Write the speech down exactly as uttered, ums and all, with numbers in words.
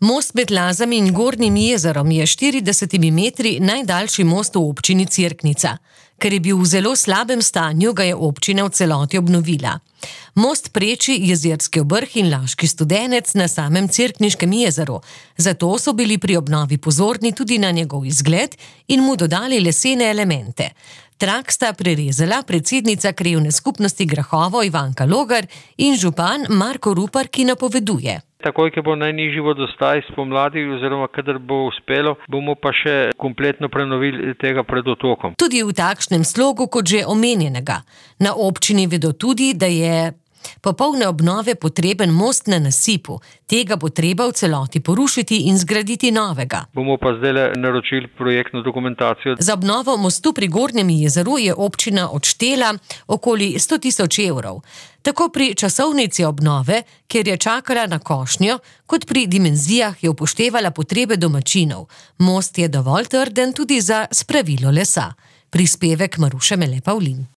Most med Lazami in Gornjim jezerom je štiridesetimi metri najdaljši most v občini Cerknica. Ker je bil v zelo slabem stanju, ga je občina v celoti obnovila. Most preči Jezerski vrh in Laški Studenec na samem Cerkniškem jezeru. Zato so bili pri obnovi pozorni tudi na njegov izgled in mu dodali lesene elemente. Trak sta prerezala predsednica krajevne skupnosti Grahovo Ivanka Logar in župan Marko Rupar, ki napoveduje. Takoj, ko bo najnižji vodostaj spomladi oziroma kadar bo uspelo, bomo pa še kompletno prenovili tega pred otokom. Tudi v takšnem slogu, kot že omenjenega. Na občini vedo tudi, da je popolne obnove potreben most na nasipu. Tega bo treba v celoti porušiti in zgraditi novega. Bomo pa zdaj naročili projektno dokumentacijo. Za obnovo mostu pri Gornjem jezeru je občina odštela okoli sto tisoč evrov. Tako pri časovnici obnove, kjer je čakala na košnjo, kot pri dimenzijah je upoštevala potrebe domačinov. Most je dovolj trden tudi za spravilo lesa. Prispevek Maruše Mele Pavlin.